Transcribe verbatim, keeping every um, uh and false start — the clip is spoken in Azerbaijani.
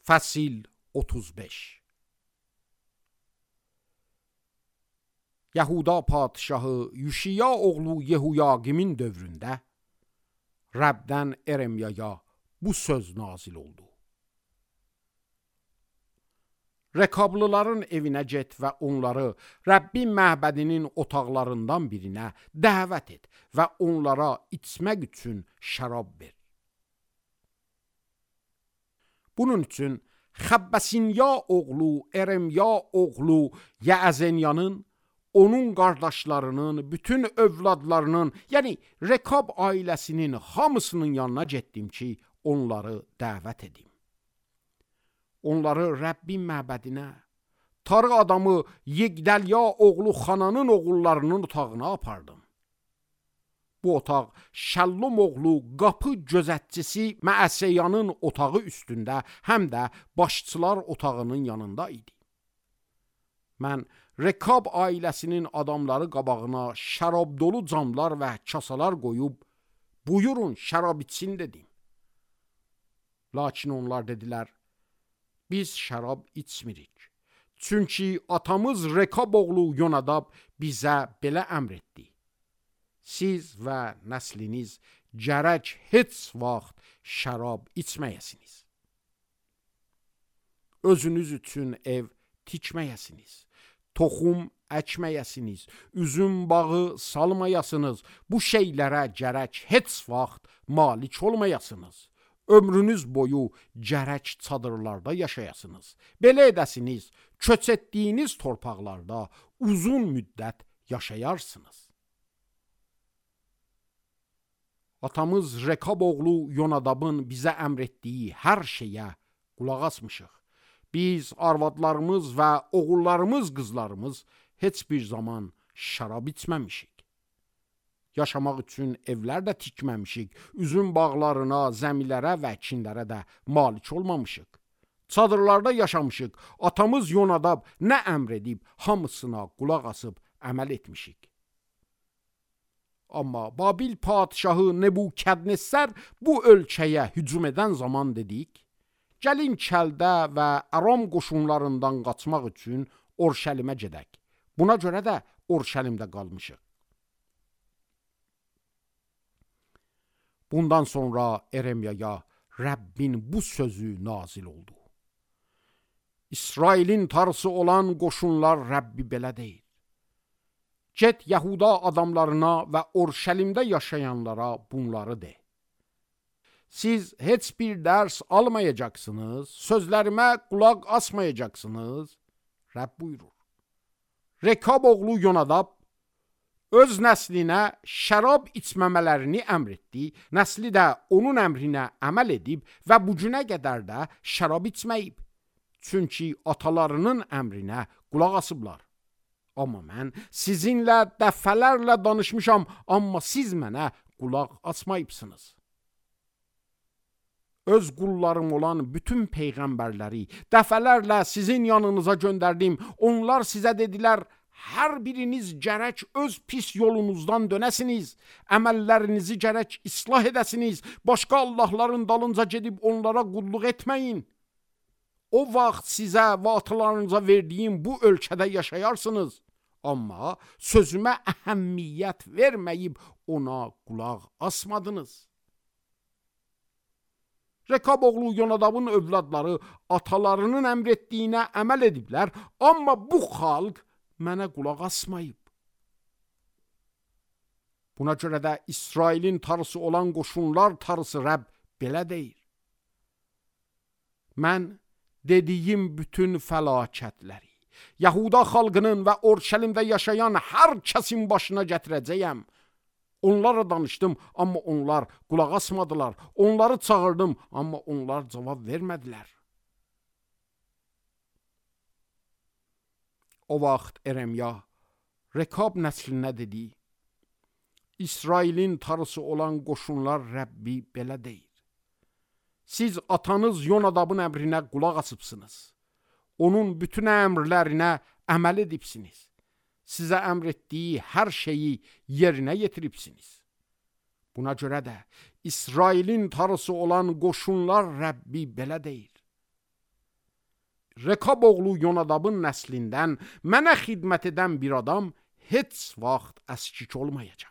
Fəsil otuz beş. Yahuda padişahı Yuşiya oğlu Yehuyaqimin dövründə Rəbdən Eremyaya bu söz nazil oldu. Rekablıların evinə get və onları Rəbbin məbədinin otaqlarından birinə dəvət et və onlara içmək üçün şərab ver. Bunun üçün Xəbbəsinya oğlu Eremya oğlu Yəəzenyanın, onun qardaşlarının, bütün övladlarının, yəni Rekab ailəsinin hamısının yanına getdim ki, onları dəvət edim. Onları Rəbbin məbədinə, tarı adamı Yigdəlya oğlu Xananın oğullarının otağına apardım. Bu otaq Şəllum oğlu qapı gözətçisi Məəsəyanın otağı üstündə, həm də başçılar otağının yanında idi. Mən Rekab ailəsinin adamları qabağına şərab dolu camlar və kasalar qoyub, buyurun şərab içsin dedim. Lakin onlar dedilər, biz şərab içmirik. Çünki atamız Rekab oğlu Yonadab bizə belə əmr etdi. Siz və nəsliniz gərək heç vaxt şərab içməyəsiniz. Özünüz üçün ev tikməyəsiniz. Toxum əkməyəsiniz. Üzüm bağı salmayasınız. Bu şeylərə gərək heç vaxt malik olmayasınız. Ömrünüz boyu gərək çadırlarda yaşayasınız. Belə edəsiniz, köç etdiyiniz torpaqlarda uzun müddət yaşayarsınız. Atamız Rekab oğlu Yonadabın bizə əmr etdiyi hər şeyə qulaq asmışıq. Biz arvadlarımız və oğullarımız, qızlarımız heç bir zaman şərab içməmişik. Yaşamaq üçün evlər də tikməmişik. Üzüm bağlarına, zəmilərə və əkinlərə də malik olmamışıq. Çadırlarda yaşamışıq. Atamız Yonadab nə əmr edib, hamısına qulaq asıb əməl etmişik. Amma Babil padişahı Nebukadnessar bu ölkəyə hücum edən zaman dedik, gəlin Kəldə və Aram qoşunlarından qaçmaq üçün Orşəlimə gedək. Buna görə də Orşəlimdə qalmışıq. Bundan sonra Eremyaya Rəbbin bu sözü nazil oldu. İsrailin tarısı olan qoşunlar Rəbbi belə deyir. Get Yahuda adamlarına və Orşəlimdə yaşayanlara bunları de. Siz heç bir dərs almayacaqsınız, sözlərimə qulaq asmayacaqsınız. Rəbb buyurur. Rekab oğlu Yonadab öz nəslinə şərab içməmələrini əmr etdi, nəsli də onun əmrinə əməl edib və bu günə qədər də şərab içməyib. Çünki atalarının əmrinə qulaq asıblar. Amma mən sizinlə dəfələrlə danışmışam, amma siz mənə qulaq asmayıbsınız. Öz qullarım olan bütün peyğəmbərləri dəfələrlə sizin yanınıza göndərdim. Onlar sizə dedilər, hər biriniz gərək öz pis yolunuzdan dönəsiniz, əməllərinizi gərək islah edəsiniz, başqa Allahların dalınca gedib onlara qulluq etməyin. O vaxt sizə və atalarınıza verdiyim bu ölkədə yaşayarsınız. Amma sözümə əhəmmiyyət verməyib ona qulaq asmadınız. Rekab oğlu Yonadabın övladları atalarının əmr etdiyinə əməl ediblər, amma bu xalq mənə qulaq asmayıb. Buna görə də İsrailin tarısı olan qoşunlar tarısı Rəbb belə deyir. Mən dediyim bütün fəlakətləri Yahuda xalqının və Orşəlimdə yaşayan hər kəsin başına gətirəcəyəm. Onlara danışdım, amma onlar qulaq asmadılar. Onları çağırdım, amma onlar cavab vermədilər. O vaxt Eremya Rekab nəslinə dedi, İsrailin tarısı olan qoşunlar Rəbbi belə deyir. Siz atanız Yonadabın əmrinə qulaq asıbsınız. Onun bütün əmrlərinə əməl edibsiniz. Sizə əmr etdiyi hər şeyi yerinə yetiribsiniz. Buna görə də İsrailin tarısı olan qoşunlar Rəbbi belə deyir. Rekab oğlu Yonadabın nəslindən mənə xidmət edən bir adam heç vaxt əskik olmayacaq.